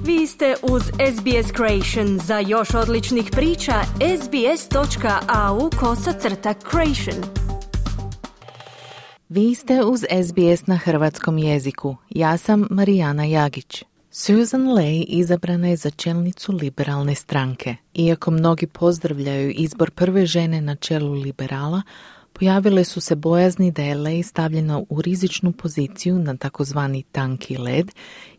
Vi ste uz SBS Creation. Za još odličnih priča, sbs.au/creation. Vi ste uz SBS na hrvatskom jeziku. Ja sam Marijana Jagić. Susan Ley izabrana je za čelnicu liberalne stranke. Iako mnogi pozdravljaju izbor prve žene na čelu liberala, pojavile su se bojazni da je Ley stavljena u rizičnu poziciju na takozvani tanki led,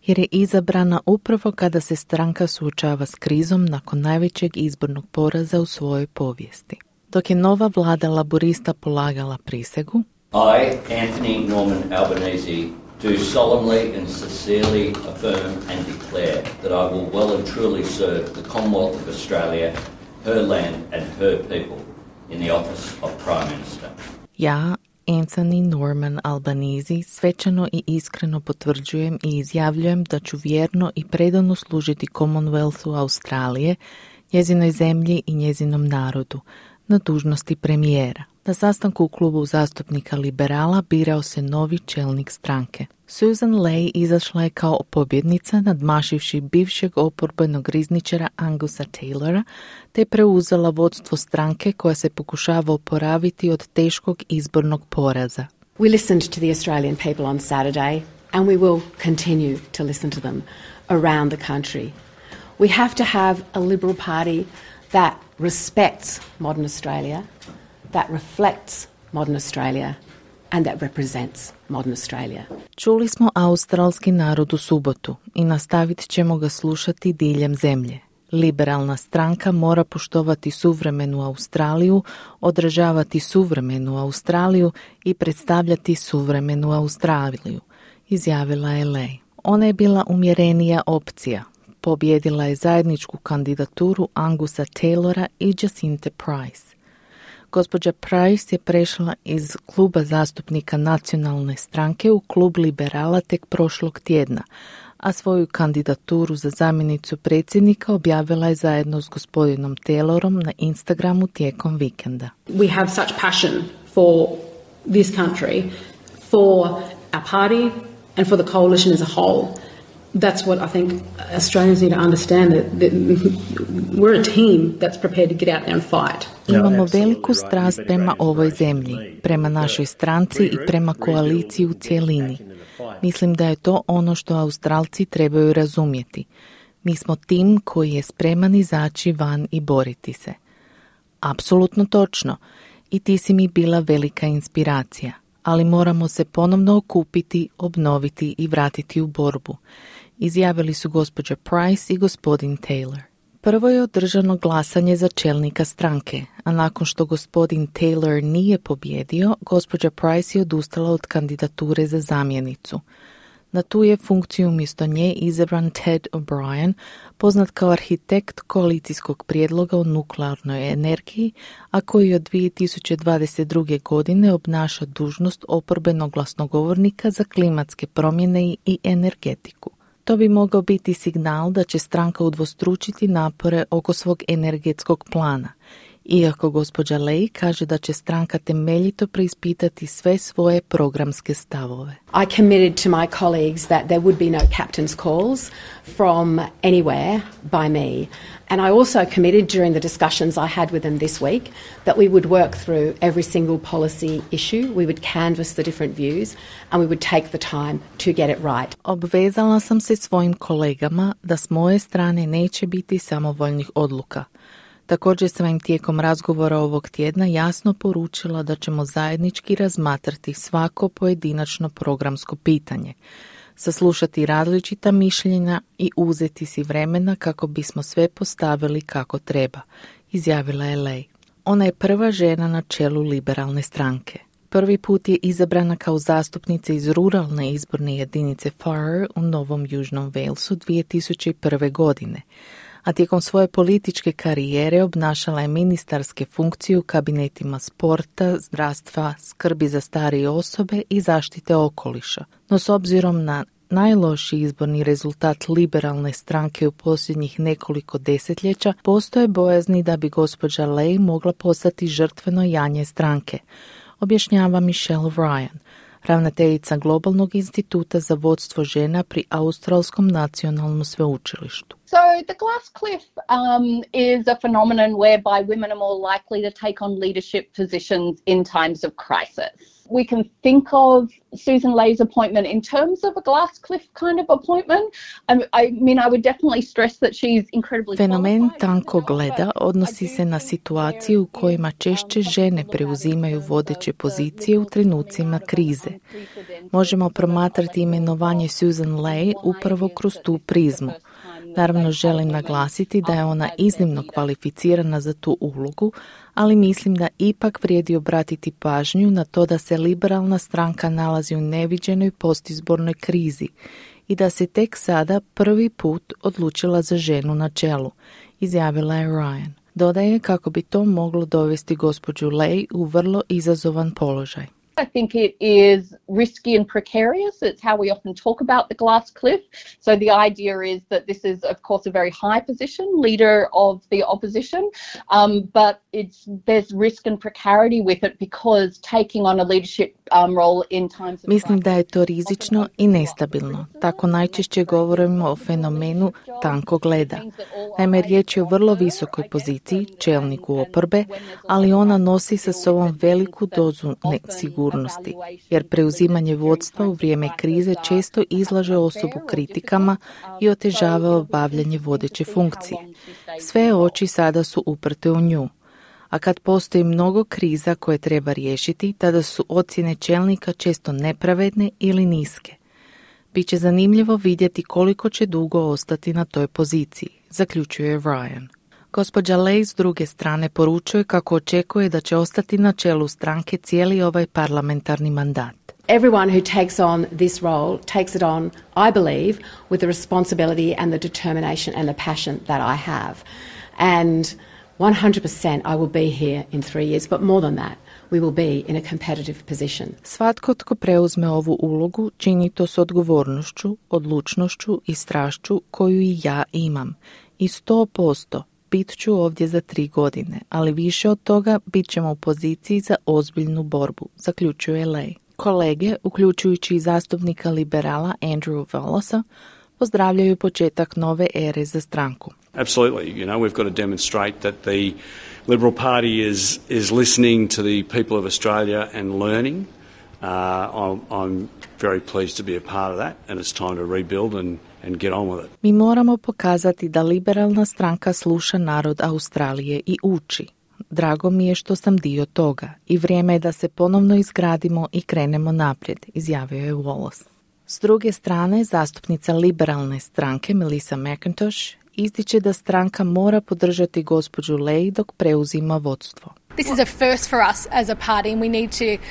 jer je izabrana upravo kada se stranka suočava s krizom nakon najvećeg izbornog poraza u svojoj povijesti. Dok je nova vlada laborista polagala prisegu, I, Anthony Norman Albanese, do solemnly and sincerely affirm and declare that I will well and truly serve the Commonwealth of Australia, her land and her people in the office of Prime Minister. Ja, Anthony Norman Albanese, svečano i iskreno potvrđujem i izjavljujem da ću vjerno i predano služiti Commonwealthu Australije, njezinoj zemlji i njezinom narodu, na dužnosti premijera. Na sastanku u klubu zastupnika liberala birao se novi čelnik stranke. Susan Ley izašla je kao pobjednica nadmašivši bivšeg oporbenog rizničara Angusa Taylora, te preuzela vodstvo stranke koja se pokušava oporaviti od teškog izbornog poraza. We listened to the Australian people on Saturday and we will continue to listen to them around the country. We have to have a Liberal Party that respects modern Australia, that reflects modern Australia and that represents modern Australia. Čuli smo australski narod u subotu i nastavit ćemo ga slušati diljem zemlje. Liberalna stranka mora poštovati suvremenu Australiju, odražavati suvremenu Australiju i predstavljati suvremenu Australiju, izjavila je Ley. Ona je bila umjerenija opcija. Pobjedila je zajedničku kandidaturu Angusa Taylora i Jacinthe Price. Gospođa Price je prešla iz kluba zastupnika nacionalne stranke u klub liberala tek prošlog tjedna, a svoju kandidaturu za zamjenicu predsjednika objavila je zajedno s gospodinom Taylorom na Instagramu tijekom vikenda. We have such passion for this country, for our party and for the coalition as a whole. That's what I think Australians need to understand, that we're a team that's prepared to get out there and fight. Imamo veliku strast prema ovoj zemlji, prema našoj stranci i prema koaliciji u cjelini. Mislim da je to ono što Australci trebaju razumjeti. Mi smo tim koji je spreman izaći van i boriti se. Apsolutno točno. I ti si mi bila velika inspiracija. Ali moramo se ponovno okupiti, obnoviti i vratiti u borbu, izjavili su gospođa Price i gospodin Taylor. Prvo je održano glasanje za čelnika stranke, a nakon što gospodin Taylor nije pobjedio, gospođa Price je odustala od kandidature za zamjenicu. Na tu je funkciju umjesto nje izabran Ted O'Brien, poznat kao arhitekt koalicijskog prijedloga o nuklearnoj energiji, a koji od 2022. godine obnaša dužnost oporbenog glasnogovornika za klimatske promjene i energetiku. To bi mogao biti signal da će stranka udvostručiti napore oko svog energetskog plana, iako gospođa Ley kaže da će stranka temeljito preispitati sve svoje programske stavove. I committed to my colleagues that there would be no captain's calls from anywhere by me. And I also committed during the discussions I had with them this week that we would work through every single policy issue, we would canvass the different views and we would take the time to get it right. Obvezala sam se svojim kolegama da s moje strane neće biti samovoljnih odluka. Također sam im tijekom razgovora ovog tjedna jasno poručila da ćemo zajednički razmatrati svako pojedinačno programsko pitanje, saslušati različita mišljenja i uzeti si vremena kako bismo sve postavili kako treba, izjavila je Ley. Ona je prva žena na čelu liberalne stranke. Prvi put je izabrana kao zastupnica iz ruralne izborne jedinice Farrer u Novom Južnom Walesu 2001. godine, a tijekom svoje političke karijere obnašala je ministarske funkcije u kabinetima sporta, zdravstva, skrbi za starije osobe i zaštite okoliša. No s obzirom na najlošiji izborni rezultat liberalne stranke u posljednjih nekoliko desetljeća, postoje bojazni da bi gospođa Ley mogla postati žrtveno janje stranke, objašnjava Michelle Ryan, ravnateljica Globalnog instituta za vodstvo žena pri Australskom nacionalnom sveučilištu. So the glass cliff is a phenomenon whereby women are more likely to take on leadership positions in times of crisis. We can think of Susan Lay's appointment in terms of a glass cliff kind of appointment. I would definitely stress that she's incredibly Fenomen tankog leda odnosi se na situaciju u kojima češće žene preuzimaju vodeće pozicije u trenucima krize. Možemo promatrati imenovanje Susan Lay upravo kroz tu prizmu. Naravno, želim naglasiti da je ona iznimno kvalificirana za tu ulogu, ali mislim da ipak vrijedi obratiti pažnju na to da se liberalna stranka nalazi u neviđenoj postizbornoj krizi i da se tek sada prvi put odlučila za ženu na čelu, izjavila je Ryan. Dodaje kako bi to moglo dovesti gospođu Lay u vrlo izazovan položaj. I think it is risky and precarious. It's how we often talk about the glass cliff. So the idea is that this is, of course, a very high position, leader of the opposition, but there's risk and precarity with it because taking on a leadership role in times of Mislim da je to rizično i nestabilno. Tako najčešće govorimo o fenomenu tankog leda. Naime, riječ je o vrlo visokoj poziciji, čelniku oporbe, ali ona nosi sa sobom veliku dozu nesigurnosti, jer preuzimanje vodstva u vrijeme krize često izlaže osobu kritikama i otežava obavljanje vodeće funkcije. Sve oči sada su uprte u nju. A kad postoji mnogo kriza koje treba riješiti, tada su ocjene čelnika često nepravedne ili niske. Biće zanimljivo vidjeti koliko će dugo ostati na toj poziciji, zaključuje Ryan. Gospođa Lay s druge strane poručuje kako očekuje da će ostati na čelu stranke cijeli ovaj parlamentarni mandat. Everyone who takes on this role takes it on, I believe, with the responsibility and the determination and the passion that I have. And 100% I will be here in 3 years, but more than that, we will be in a competitive position. Svatko tko preuzme ovu ulogu čini to s odgovornošću, odlučnošću i strašću koju i ja imam. I 100% bit ću ovdje za 3 godine, ali više od toga bit ćemo u poziciji za ozbiljnu borbu, zaključuje Lay. Kolege, uključujući i zastupnika liberala Andrew Wallosa, pozdravljaju početak nove ere za stranku. Absolutely. We've got to demonstrate that the Liberal Party is listening to the people of Australia and learning. I'm very pleased to be a part of that, and it's time to rebuild and get on with it. Mi moramo pokazati da liberalna stranka sluša narod Australije i uči. Drago mi je što sam dio toga i vrijeme je da se ponovno izgradimo i krenemo naprijed, izjavio je Wallace. S druge strane, zastupnica liberalne stranke Melissa McIntosh ističe da stranka mora podržati gospođu Lay dok preuzima vodstvo. This is a first for us as a party, and we need to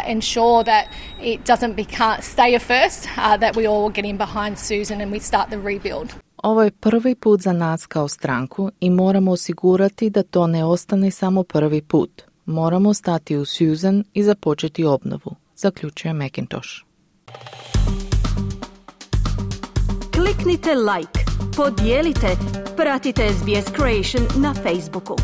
ensure that it doesn't stay a first, that we all get in behind Susan and we start the rebuild. Ovo je prvi put za nas kao stranku i moramo osigurati da to ne ostane samo prvi put. Moramo stati u Susan i započeti obnovu, zaključuje McIntosh. Kliknite like, podijelite, pratite SBS Creation na Facebooku.